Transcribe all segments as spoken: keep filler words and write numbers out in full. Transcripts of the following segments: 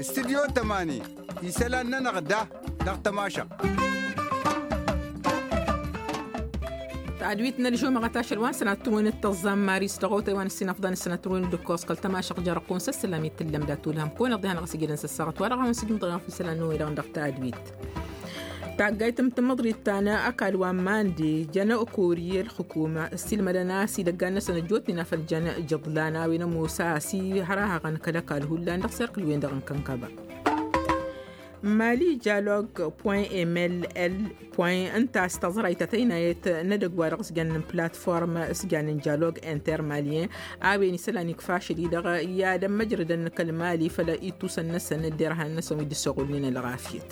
Studyo tămani isălan-nănăɣ da dăɣ-tămašăɣt. Tadwit n-ălžumăɣăt ašăl wa n-sănat turwen d-tăẓẓam maris dăɣ-otay wa n-ăssinăfḍan s-sănat turwen d-ǝkkoẓ kăl-tămašăɣt jer-ăqqun s-ăssălam i-tǝllăm dat-ulhăm kăwăn-iḍḍihan ɣas-ijădăn s-ăssaɣăt wa dăɣ-a-wen s-ijmǝḍ ɣef isălan n-oy-dăɣ dăɣ-tadwit. Taggayt n-tamăḍrit ta n-ăkall wa n-mande jăn okori ălxukuma ăssiilmădăn a-s idăggan-năsăn ăjjootnen a făl jăn jăḍlan a-wen ămoos a-s ihărahăɣăn kăl-ăkall hullan dăɣ-serkǝl-wen-dăɣ n-kănkăba. Mali jalog point mll point ǝnta a-s taẓrayt ta tăynayăt n-edăgg wa dăɣ-s jăn n-platform s-jăn n-jalog intermalien a-wen isălan ikfa ašăl-i-dăɣ i-ad-ămmăjrădăn kăl-mali făll-ittusăn-năsăn d-derhan-năsăn wi dd-ăssoɣulnen ălɣafyăt.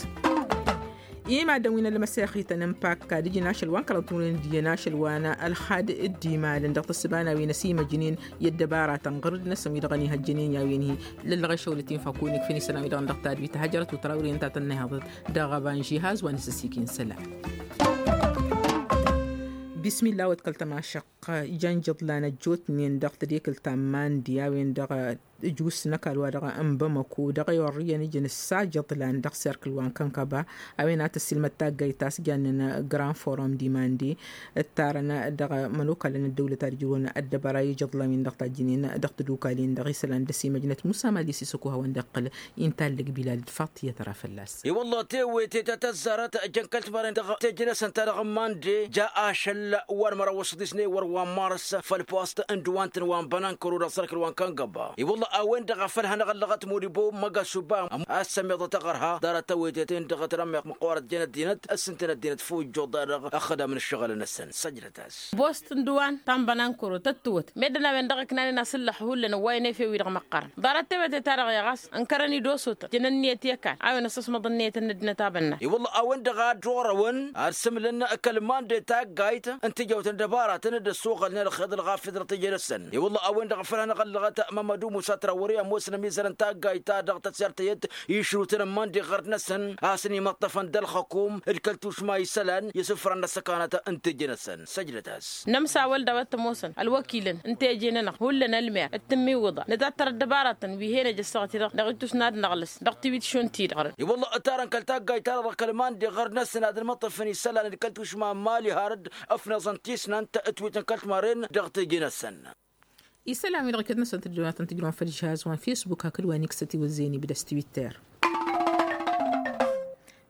Imaddăn wi n-ălmăsexităn n-pakka d-ijǝn ašăl wa n-kăraḍ timǝrwen d-iyyăn ašăl wa n-ălxad d-imalăn dăɣ-tǝssǝba n-a-wen ăsimăjnen i-ăddăbaratăn ɣǝrǝd-năsăn wi dăɣ-ănihăjjănen i-a-wen-hi lăllăɣ išăwlăt-in făkun ikfǝn isălan wi dăɣ-năɣ tadwit hajărăt utra wăren ta tănnăyhăḍăt dăɣ-ăbanžihaz wa n-asăsikin isălan. Bismillah wăt kăl-tămašăq. Jăn jăḍlan ăjjootnen dăɣ-tadekǝlt ta n-mandi a-wen-dăɣ ǝjus n-ăkall wa dăɣ-n bamăko dăɣ-e orriyăn ǝjǝn ǝssa jăḍlan dăɣ-serkǝl wa n-kănkăba. A-wen ad-tăssilmăd taggayt ta s-jannen grand forum dimande ǝttarăn dăɣ-mănokalăn ăddăwlăt ad-ǝjrǝwăn ăddăbăra i-jăḍlan-win-dăɣ tajjǝnen dăɣ-tadukalen-dăɣ isălan d-ăsimăjnăt musa mali s-isăko hawăn-dd-iqqǝl. Inta ăllăg bilal d-faṭiyăt ra fălla-s. I-wălla tewete ta tăzzarăt jăn kăl-timarăn dăɣ-teje-năsăn ta dăɣ-n mande ja ašăl wa n-măraw s-ḍisney wăr wa n-marăs făll-post n-dăwant n-wa n-bănankăro dăɣ-sărkǝl wa n-kăngăba. I-wălla a-wen-dăɣ a făl hanăɣ-ăllăɣăt modibo măgasuba a-s sămmiḍăt aɣărha ḍarăt tewete-ten-dăɣ tănămmeɣt măqqoorăt jăn ăddinăt s-ǝntăn ăddinăt fujjuḍ-dăɣ ăxxădam n-ǝššăɣǝl-năsăn săjdăt-as. Post n-dăwan ta n-bănankăro tăt-tǝwwăt meddǝn a-wen-dăɣ ǝknanen asǝllăx hullan ăwwayăn efew-wi-dăɣ măqqărăn ḍarăt tewete-ta-dăɣ i-ɣas ǝnkărăn-dd osotăn jăn ǝnniyăt i-ăkall a-wen ăssăsmăḍ ǝnniyăt n-ăddinăt a bănna. I-wălla a-wen-dăɣ a dd-orăwăn ad-sǝmǝlăn kăl-mande taggayt n-tijăwt n-dăbaratăn d-ăssuɣălnen ălxeḍ ălɣafyăt dăɣ-teje-năsăn. I-wălla a-wen-dăɣ a făl hanăɣ-ăllăɣăt mămmădu musa trawări ămoosăn ămizăr n-taggayt-ta dăɣ-tăsert tăyăt išrutăn n-mande ɣărd-năsăn a-s ănimăṭṭăfăn d-ălxăkum d-kăl-tušma isălan i-isǝfran n-ăssăkanăt n-teje-năsăn săjdăt-as. Nămsawăl daw-ăttămosăn ălwăkilăn n-teje-nănăɣ hullan ălmer d-tǝmmiwǝḍa nǝtattăr ăddăbaratăn wi hen-ăj ăssaɣăt-i-dăɣ dăɣ-ittus n-ad-năɣlăs dăɣ-tiwit šund-ti-dăɣ. I-wălla ǝttarăn kăl-taggayt-ta-dăɣ kăl-mande ɣărd-năsăn ad-ălmăṭṭăfăn isălan d-kăl-tušma n-mali har dd-ăfnăẓăn tisnant ătwităn kăl-timaren dăɣ-teje-năsăn. Isălan-wi-dăɣ iket-năsăn tǝddǝwănatăn tǝjrăwăn făll-žihaz wa n-fisbuk hakd wa n-iksăt iwǝzzeyăn ibda s-twitter.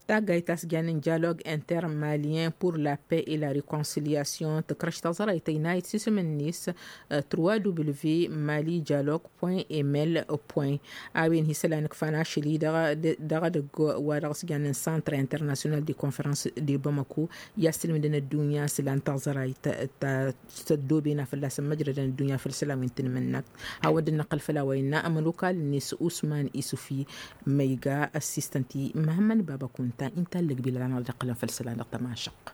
Taggayt ta s-jannen dialog intermalien pour la paix et la reconciliation tǝkrăš taẓrayt ăynayăt s-isǝm-net trois w mali dialog point ml point. A-wen hi-isălan ǝkfan ašăl-i dăɣ-edăgg wa dăɣ-s jannen centre international de conference de bamako i-ad-sǝlmǝdăn ăddunya isălan taẓrayt ta s-ăddooben a fălla-săn măjrădăn ăddunya făll-isălan wi n-tanmǝnnakt. Hawăn-dd-năqqăl făll-a-wa innă ămănokal-net usman isufi ma iga ăssistăn-t-i măhămmăn baba kunta inta ăllăg bilal a năɣ-dd-iqqălăn făll-isălan dăɣ-tămašăq.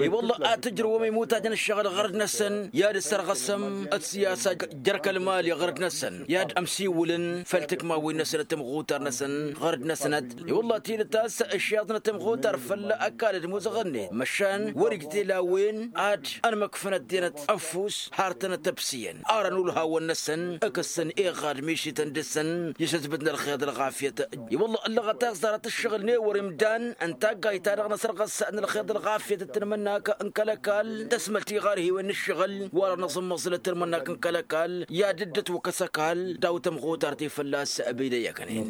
I-wălla ad-tǝjrǝwăm imutajăn ǝššăɣǝl ɣărd-năsăn i-ad-ǝssărɣăsăm d-siyasa jer-kăl-mali ɣărd-năsăn i-ad-ămsiwǝlăn făll-tikmawen-năsăn d-timɣutar-năsăn ɣărd-năsnăt. I-wălla tidǝt a-s ǝššeḍnăt timɣutar făll-ăkall d-imuzăɣăn-net măšan wăr-ijtel a-wen ad-ănmăkfăn ăddinăt ăffus har tăn-ătăbsǝyăn. Arăn ulhawăn-năsăn ǝkǝssăn iɣad mišităn dăɣ-săn i-sătbǝt n-ălxeḍ ălɣafyăt. I-wălla ăllăɣăt a-s ḍarăt ǝššăɣǝl n-ewăr imdan n-taggayt-ta-dăɣ n-asărɣăs n-ălxeḍ ălɣafyăt d-tanmǝnnak n-kăl-ăkall tăsmălt iɣar hiwen n-ǝššăɣǝl. Wăr-anăẓǝmmăẓǝlăt tanmǝnnak n-kăl-ăkall i-ad-dd-ătwăkkăs ăkall daw-tamɣutart-i fălla-s. Bidăy ăknen.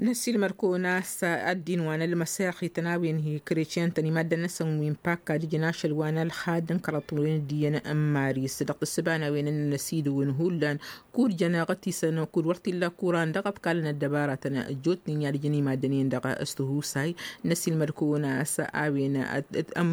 Năsilmăr-kăwăn a-s ăddin wa n-ălmăsexităn a-wen hi-kretyăn-tăn i-maddăn-năsăn wi n-pakka d-ijăn ašăl wa n-ălxad n-kăraḍ timǝrwen d-iyyăn n-maris dăɣ-tǝssǝba n-a-wen n-năsidǝwăn hullan kud-jăn aɣătisăn kud-wăr t-illa kuran dăɣ-ăḍkalăn ăddăbaratăn ăjjootnen i-ad-ǝjǝn i-maddăn-en-dăɣ s-tihusay. Năsilmăr-kăwăn a-s a-wen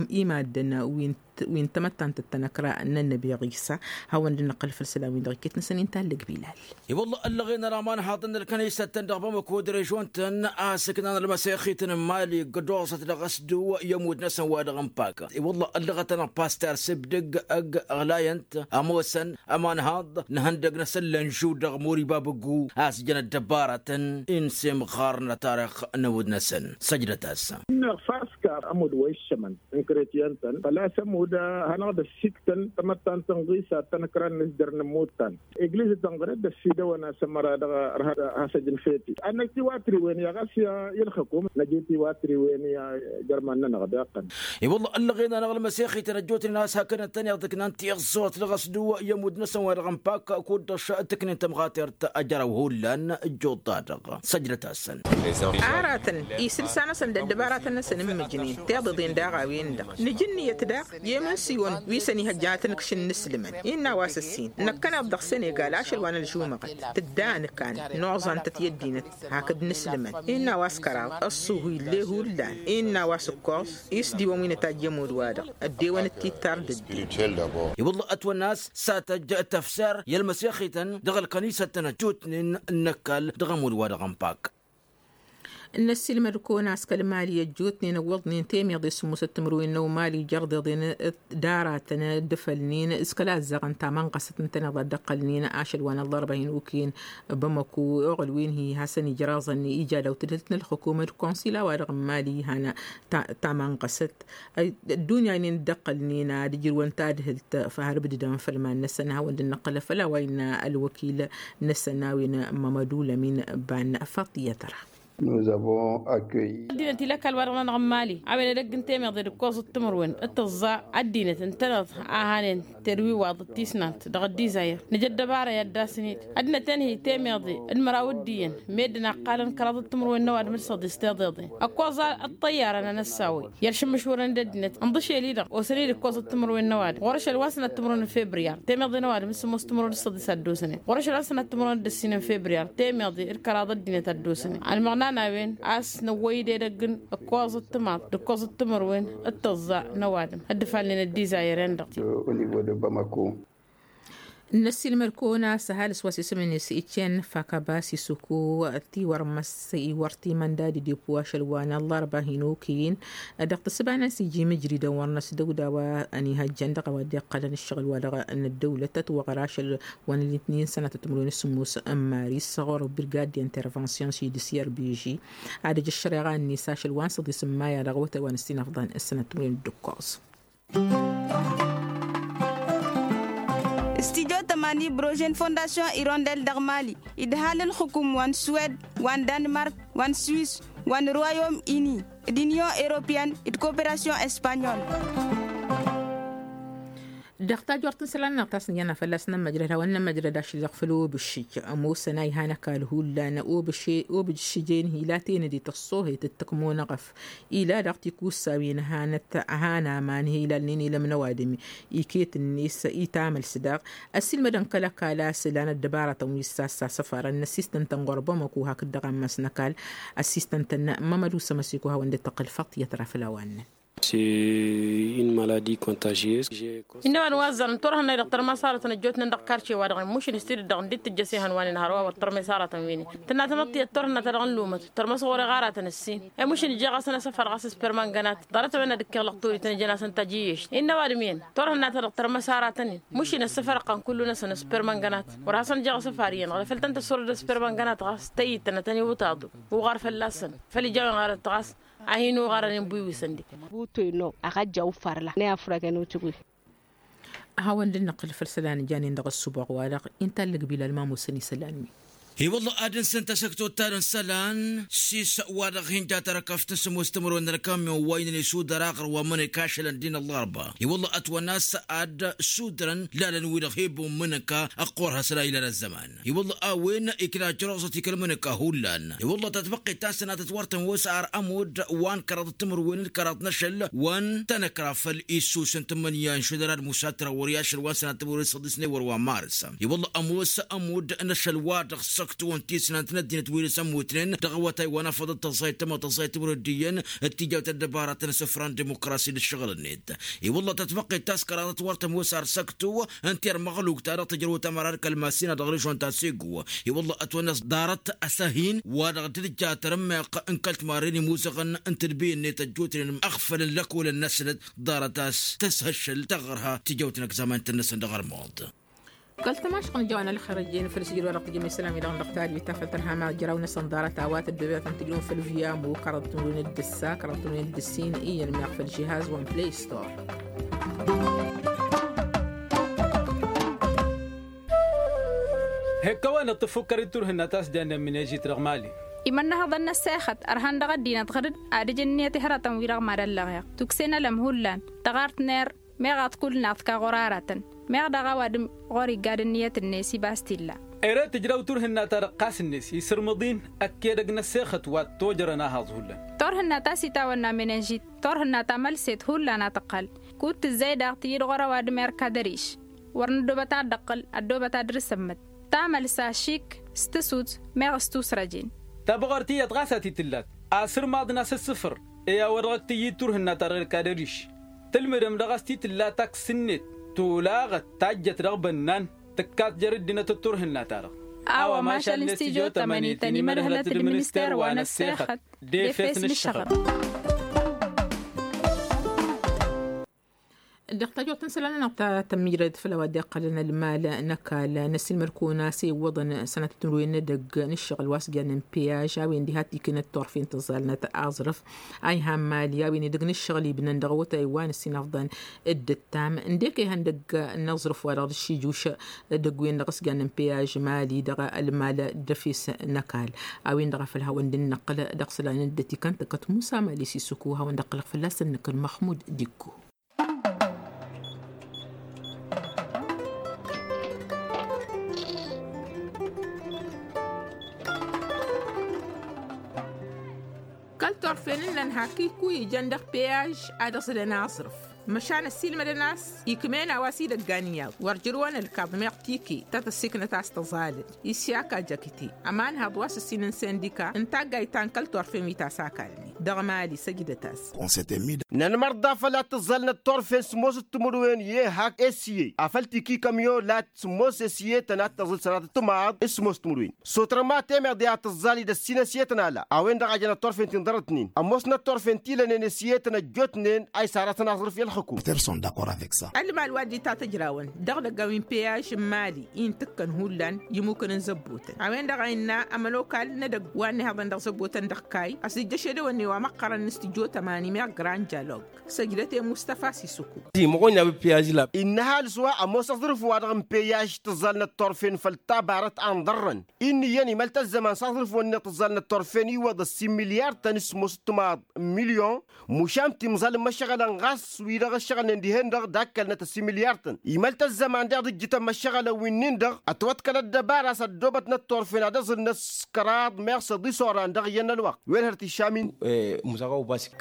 imaddăn wi n-tamăttant d-tanăkra n-ănnăbiɣ isa. Hawăn-dd-năqqăl făll-isălan-win-dăɣ iket-năsăn inta ăllăg bilal. I-wălla ăllăɣen ălaman haḍăn n-ălkănăysăt-tăn dăɣ-bamăko d-režon-tăn a ǝssǝknan ălmăsexităn n-mali ǝggăd oẓăt dăɣ-s dăw i-ămudd-năsăn wa dăɣ-n pak. I-wălla ăllăɣăt-anăɣ paster s-ibdǝg ăgg ăɣlayăn-t ămoosăn ămanhaḍ n-ihăndăg-năsăn lănžu dăɣ-mori babăggu a-s jăn ăddăbaratăn insemɣar n-atarix n-ămudd-năsăn. Săjdăt-as. ămud wa iššămăn n-kretiyăn-tăn făl-a-s ămud hanăɣ-dd-ăssiktăn tamăttant n-ɣisa tănăkra n-asdăr n-ămmut-tăn. Egliz tănɣăre dd-ăssidăwăn a-s ămăra dăɣ-hasăj n-feti ad-năj tiwatriwen i-ɣas i-ălxăkum năj tiwatriwen i-ajărman-nănăɣ d-iqqăn. I-wălla ăllăɣen-anăɣ ălmăsexităn ăjjootnen a-s hakd ǝntăneḍ d-ǝknan tiẓẓut dăɣ-s dăw-i ămudd-năsăn wa dăɣ-n pak kud-dăɣ tǝknen tămɣatert ăjrăw hullan ăjjoḍ-ta-dăɣ. Săjdăt-asăn. Aratăn isǝlsa-năsăn d-ăddăbaratăn-năsăn n-imǝjnen tiḍeḍen daɣ a-wen-dăɣ nǝj ǝnniyăt daɣ i-emănsiwăn wi s-ănihăjja ad-tăn-ǝkšǝn n-islǝmăn innă a-wa s-ǝssin năkkăneḍ dăɣ-senegal ašăl wa n-ălžumăɣăt tǝdda anǝkan n-oẓantăt i-ăddinăt hakd n-islǝmăn innă a-wa s-kăraḍ ăṣṣuhu ill'-e hullan innă a-wa s-ǝkkoẓ i-s diwăn wi nǝtajj i-ămudd-wa-dăɣ ăddewăn d-tittar d-ăddin. I-wălla ătwănna a-s s-ad-tăjj tăfsar i-ălmăsexităn dăɣ-ălkănisăt-tăn ăjjootnen n-ăkall dăɣ-ămudd-wa-dăɣ n-pak. N-ăssiilmăd-kăwăn a-s kăl-mali ăjjootnen ǝwwăḍnen temeḍe s-ǝmmusăt timǝrwen n-ăwmali jer-deḍen d-aratăn d-ifălnen s-kăla ăzzaɣăn tamănɣăsăt ǝntăneḍ ad-dd-ăqqălnen ašăl wa n-ăllarba hin-okăyăn bamăko oɣăl wen hi-hasăn-ijraẓăn ija daw-tǝdhǝlt n-ălxǝkumăt konsila-wa-dăɣ n-mali han tamănɣăsăt ăddunya-nen dd-ăqqălnen ad-ǝjrǝwăn tadhǝlt făhărbǝdǝdăn făll-iman-năsăn hawăn-dd-nǝqqǝlăf făll-a-wa innă ălwăkil-năsăn a-wen mămădulămin ban faṭiyăt ra. Ăddinăt ila ăkall-wa-dăɣ-nănăɣ n-imali a-wen edăgg n-temeḍe d-ǝkkoẓăt timǝrwen d-tǝẓẓa ăddinăt ǝntăneḍ a hanen terwiwaḍ d-tisnant dăɣ-ăddizayăr nǝj ăddăbara i-ad-dd-asǝn-dd ăddinăt-en hi temeḍe d-măraw d-iyyăn meddǝn a ǝqqalăn kăraḍăt timǝrwen n-ăwadǝm d-săḍis tiḍeḍen ăkkoẓ ăṭṭăyyar a nănăssawăy i-ălšǝmmǝšwărăn d-ăddinăt ǝnḍǝšel-i-dăɣ osăn-dd ǝkkoẓăt timǝrwen n-ăwadǝm ɣur-ašăl wa n-sănat timǝrwen n-febriyar temeḍe n-ăwadǝm d-sǝmmos timǝrwen d-săḍis ad-dd-osănen ɣur-ašăl wa n-sănat timǝrwen d-ăssin n-febriyar temeḍe d-kăraḍ ăddinăt ad-dd-osănen ălmăɣna n-a-wen a-s năwwăy-dd edăgg n-ǝkkoẓăt timaḍ d-ǝkkoẓăt timǝrwen d-tǝẓẓa n-ăwadǝm dd-ǝfalnen ăddizayăren-dăɣ. N-ăssiilmăd-kăwăn a-s ăhalǝs wa s-isǝm-net iccen fakaba s-isuku tiwărmăs iwăr timănda d-idǝpu ašăl wa n-ăllarba hin-okăyăn dăɣ-tǝssǝba-năs iji mǝjridăn wăr năsdăwda wa ănihăjjăn dăɣ-a-wa dd-iqqălăn ǝššăɣǝl-wa-dăɣ n-ăddăwlăt tătwăɣăr ašăl wa n-ăllit n-sănatăt timǝrwen s-sǝmmos n-maris ɣur-birgad d-intervention s-idǝs i-ărbiži ad-ăj ăššăreɣa-net ašăl wa n-săḍis n-maya dăɣ-awătay wa n-ăssinăfḍan s-sănatăt timǝrwen d-ǝkkoẓ. Studyo tămani brožen fondasyon irondel dăɣ-mali idhal ǝlxǝkum wa n-suwed wa n-danmark wa n-swis wa n-royom ini d-inyon europeyăn d-koperasyon espanyol. Dăɣ-tajort n-isălan-năɣ ta s-nǝjănna fălla-s nămmăjrăd hawăn-nămmăjrăd ašăl dăɣ-făll-obǝššǝj ămoosăn a iha n-ăkall hullan obǝššǝj-en hi-la tenăde tăṣṣohet d-tăkmonăɣăf ila daɣ tikussawen hanăt han aman hi-ilalnen ilăm n-ăwadǝm iket-net itamăls daɣ ăssiilmădăn kăl-ăkall a-s ǝlan ăddăbaratăn wi s-sassa săfarăn n-ăssistăn-tăn ɣur-bamăko hakd dăɣ-ammas n-ăkall ăssistăn-tăn mămădu sămăsiko hawăn-dd-tăqqǝl făṭṭiyăt ra făll-a-wa ǝnnăn. Innă ăwadǝm wa ăzzarăn turhǝnna-i dăɣ-tărmăs aratăn ăjjootnen dăɣ-karce-wa-dăɣ imušǝn s-tidǝt dăɣ-dd-tǝjjăs ehăn wa n-inhăr wa wăr tărmăs aratăn wi-nin tǝnna tamăḍt tiyyăt turhǝnna-ta-dăɣ n-lumăt tărmăs ɣur-e ɣaratăn ǝssin i-mušǝn ǝjjeɣ-asăn asăfar ɣas s-permăngănat ḍarăt a-wen ad-ǝkkeɣ lăqturi-tăn ǝjăn-asăn tajǝyyešt innă ăwadǝm-iyyăn turhǝnna-ta-dăɣ tărmăs aratăn-in mušǝn asăfar ăqqan kullu-năsăn s-permăngănat wăr hasăn-ǝjjeɣ asăfar iyyăn ɣlăf ǝltăn-tăssorăd s-permăngănat ɣas tăyyǝd-tăn ad-tăn-iwǝtaḍu uɣar fălla-săn făl ija a-wen ɣarăt ɣas a hin-uɣarăn inbǝywisăn-dd. Buto-i-năɣ a-ɣ ăjjaw farla n-e-afrăgăn ucǝgwi. Hawăn-dd-năqqǝl făll-isălan ǝjanen dăɣ-ăssubaɣ-wa-dăɣ inta ǝllǝgbǝl ălmamusăn isălan-wi. I-wălla ad-ǝnsǝn tasăktot ta dăɣ-n isălan s-isălan wa-dăɣ hin-ja tărăkăft n-sămoos timǝrwen n-ălkamyon wa ǝnnăn isudăr aɣrǝw wa n-imǝnǝka ašăl n-ăddin ăllarba i-wălla ătwănna a-s ad-sudărăn lalăn-wi-dăɣ hi-ăbbu n-imǝnǝka ăqqur hasăl-a ilăn ăzzăman i-wălla a-wen ikna ăjrăẓăt ikăl-imǝnǝka hullan i-wălla tatbăqqet ta n-sănatăt wăr tăn-wăs ar ămudd wa n-kăraḍăt timǝrwen d-kăraḍ n-ašăl wa n-tanăkra făll-issus n-tǝmmǝnǝya n-išudăr ad-musatrăwăr i-ašăl wa n-sănatăt timǝrwen s-ăḍisnăy wăr wa n-marǝs i-wălla ămoos ămudd n-ašăl wa dăɣ-săktu n-tisnant n-ăddinăt wi dăɣ-s ămmutnen dăɣ-awătay wa n-afăḍăt tăẓẓayăt tămăḍt tăẓẓayăt timǝrwen d-iyyăn d-tijawt ăddăbaratăn asǝfra n-dimukrasi d-ǝššăɣǝl-net i-wălla tatbăqqet ta s-kăraḍăt wăr tămoos ar săktu ǝnta i-ărmăɣluk ta dăɣ-tǝjrăwăt ămăra d-kăl-masin a dăɣ-režon ta segu i-wălla ătwănna ḍarăt asăhin wa dăɣ-dd-ǝjja tărǝmmeɣ n-kăl-timarren imuzăɣăn n-tǝdbǝy-net ăjjootnen ăɣfălăn lăkolăn-năsnăt ḍarăt a-s tăshăššăl taɣărha tijăwt n-ăgzamay-tăn-năsăn dăɣ-ărmuḍ. Kăl-tămašăɣ n-ija wa n-ălxer ăjjeen făll-sijil wa dăɣ-tijămăy isălam-i-dăɣ n-dăɣ-tadwit ta făll-tărha ma jăraw n-asănḍarăt a-wa tăddoobet ad-tăn-tǝjrǝwăn făll-viyamu kăraḍ timǝrwen d-ǝssa kăraḍ timǝrwen d-ǝssin iyyăn meɣ făll-žihaz wa n-play store. Hek-kăwăn-dăɣ tǝfukkăr-dd turhǝnna ta s-jannen mǝnejit dăɣ-mali. Imănnăhăḍăn n-ăssexăt ărhan dăɣ-ăddinăt ɣǝr-dd ad-ǝjǝn ǝnniyăt ihărătăn-wi-dăɣ mad-ăllăɣeɣ tukse n-ălăm hullan tăɣart n-err meɣ ad-t-kull naɣ tǝka ɣur-aratăn meɣ daɣ ăwadǝm ɣur-iggad ǝnniyăt-net ibas t-illa. Ere tǝjraw turhǝnna-ta-dăɣ ɣas-net isǝrmǝḍ-in ăkk edăgg n-ăssexăt wa t-tojărăn ahaẓ hullan. Turhǝnna ta s-itawănna menenžit turhǝnna ta mălset hullan a tǝqqal kud-tǝzzay daɣ tǝyyǝd ɣur-ăwadǝm erk ad-ăriš wăr nǝddoobăt ad-dd-ăqqǝl ăddoobăt ad-dăr-s ămmăt tamălsa šik s-tǝsut meɣ s-tusrăjen. Tabăɣort iyyăt ɣas a t-tǝllat asǝrmaḍ n-asǝssǝfăr i-a-wa dăɣ-t-tǝyyǝd turhǝnna-ta-dăɣ d-kadăriš tǝlmǝdăm dăɣ-s t-tǝlla taks-net tolaɣăt tajjăt dăɣ-bănnan tǝkkat jer-ǝddinăt d-turhǝnna-ta-dăɣ. A-wa mašal n-stijo tămănităn imădhălăt d-minister wa n-ăssexăt d-efes n-ǝššăɣăb. Dăɣ-tajot n-isălan-nănăɣ ta tămmijrăd făll-a-wa dd-iqqălăn ălmal n-ăkall n-ăssiilmăd-kăwăn-as iwwăḍăn sănatăt n-ruyen n-edăgg n-ǝššăɣǝl wa s-jannen piyaž a-wen diha t-ikinăt turfen tǝẓẓalnăt aẓrǝf a ihan mali a-wen edăgg n-ǝššăɣǝl ibnăn dăɣ-awătay wa n-ăssiinăfḍăn. Dd-ǝttam ǝndek ihăndăgg n-aẓrǝf wa dăɣ-dăɣ šijuš edăgg-wen-dăɣ s-jannen piyaž mali dăɣ-ălmal d-efes n-ăkall a-wen-dăɣ a făl hawăn-dd-năqqǝl dăɣ-isălan n-dd-ătikăn tăkkăt musa mali s-isuku hawăn-dd-ăqqǝlăɣ fălla-săn năkkăl măxmud d-iggu. Kăl-turfen ǝnnăn hak-iku ijăn dăɣ-peyaž ad-ăẓlăn aẓrǝf măšan ăssiilmădăn a-s ikm'-en a-wa s-idăggan iyyăḍ wăr jǝrwăn ălkaḍ meɣ tike ta tăssiknăt a-s tăẓalăd. Isyak ajăkte ămanhăḍ wa s-ǝssin n-sindika n-taggayt ta n-kăl-turfen wi ta s-akalnen dăɣ-mali săjdăt-as. Nănmărḍa făll-ad-tǝẓẓalnăt turfen s-ămoos d-timǝrwen i-ehak esye afăl tiki kămyo lat s-ămoos esye tănat tăẓǝl sănatăt timaḍ s-ămoos timǝrwen s-otrăma temeḍe ad-tǝẓẓal idăssin esye tănala a-wen-dăɣ a jănăt turfen ti n-ḍarătnen ămoosnăt turfen ti lănen esye tănăjjotnen a isarătăn aẓrǝf i-ălxǝkum. Ălmal wa dd-itatăjrawăn dăɣ-idăggan wi n-peyaž n-mali i n-tǝkkăn hullan imukăn n-zăbbotăn a-wen-dăɣ a innă ămănokal n-edăgg wa n-ihăḍăn dăɣ-zăbbotăn dăɣ-kayy a-s dd-jăš edăwănne wa măqqărăn n-studyo tămani meɣ grand jalog. Săjdăt i-mustăfa s-isuku. Innă ăhalǝs wa ămoos aẓrǝf-wa-dăɣ n-peyaž tǝẓẓalnăt turfen făll-tabarăt a n-ḍărrăn. Inn'-iyyăn imăl-t ăzzăman s-aẓrǝf-wăn-net tǝẓẓalnăt turfen iwwăḍ ăssin milyar-tăn s-ămoos d-timaḍ n-milyon. Mušan timẓal n-imăššăɣălăn ɣas wi-dăɣ ǝššăɣǝlnen dihen-dăɣ d-akkălnăt ăssin milyar-tăn imăl-t ăzzăman daɣ dd-ǝjjǝtăn imăššăɣălăn wi-nin-dăɣ ătwăḍkăl ăddăbara s-ăddoobătnăt turfen ad-ăẓǝlnăt s-kăraḍ meɣ s-ăḍis oran dăɣ-iyyăn n-ălwăqq. Wen hărăt išam-in.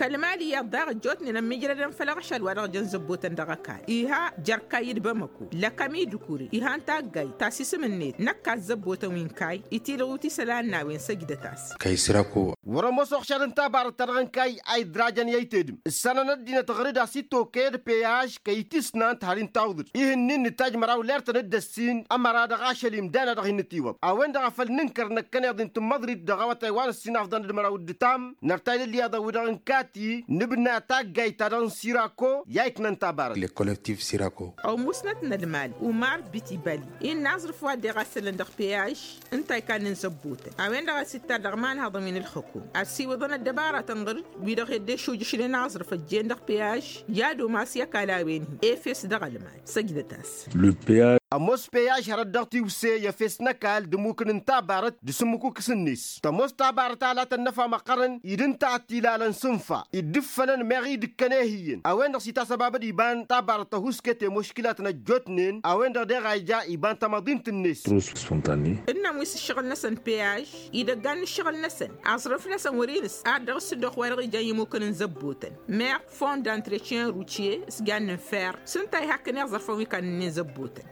Kăl-mali iyyăḍ daɣ ăjjootnen ămmiijrădăn făll-aɣšal wa dăɣ-jăn zăbbotăn dăɣ-ăkall iha jer-kayy d-bamăko lăkăm-i d-kure iha n-taggayt ta s-isǝm-net năkk a ăzzăbbotăn wi n-kayy itilɣut isălan n-a-wen săjdăt-as. Kăy-săra ko. Wăr-ămoos uɣšad n-tabarăt-ta-dăɣ n-kayy a idrajăn i-aytedǝm ǝssanăn ăddinăt ɣăr-dd a-s itokăy d-peyaž kăy-tisnant har-in tawǝḍ-dd ih'-ǝnnin nǝtajj măraw lertăn d-ăssin ămăra dăɣ-ašăl imdan a dăɣ-hin-nǝtiwăḍ a-wen-dăɣ a făl nǝnkăr năkkăneḍ-in tǝmmăḍrit dăɣ-awătay wa n-ăssinafḍăn d-măraw d-ǝtam. Nărtay d-ǝlliyaḍăn wi-dăɣ n-kati nǝbna taggayt-ta-dăɣ n-sirako i-a iknăn tabarăt. Ăwmusnăt n-ălmal umar bitibali innă aẓrǝf wa dd-iɣassălăn dăɣ-peyaž ǝnta a ikannen zăbbotăn a-wen-dăɣ a-s ittar dăɣ-imanhăḍăn wi n-ǝlxǝkum ăssiwǝḍăn ăddăbaratăn ɣǝr-dd wi-dăɣ hed dd-ešujǝšnen aẓrǝf ăjjeen dăɣ-peyaž i-ad-umas i-ăkall a-wen-hi efes dăɣ-ălmal. Săjdăt-as. Ămoos peyaž hărăt dăɣ-tiwse i-efes n-ăkall d-ămmukǝn n-tabarăt d-asǝmmǝkukǝs-net tămoos tabarăt a latăn n-ăfa măqqărăn-i d-ǝnta a t-ilalăn s-ǝnfa iddǝffănăn meɣ idǝkkăn ehǝyyăn a-wen-dăɣ s-itasăbabăd iba n-tabarăt tăhuske temoškilatăn ăjjootnen a-wen-dăɣ deɣ a ija iba n-tamăḍint-net. Ǝnnăn wi s-ǝššăɣǝl-năsăn peyaž idăggan n-ǝššăɣǝl-năsăn aẓrǝf-năsăn wăr-inǝs ad-dăɣ-s dd-ox wa dăɣ-ijan imukǝn n-zăbbotăn meɣ fond d-antretien rutye s-jannen fer s-ǝnta a ihakkăn iẓărfăn wi kannănnen zăbbotăn.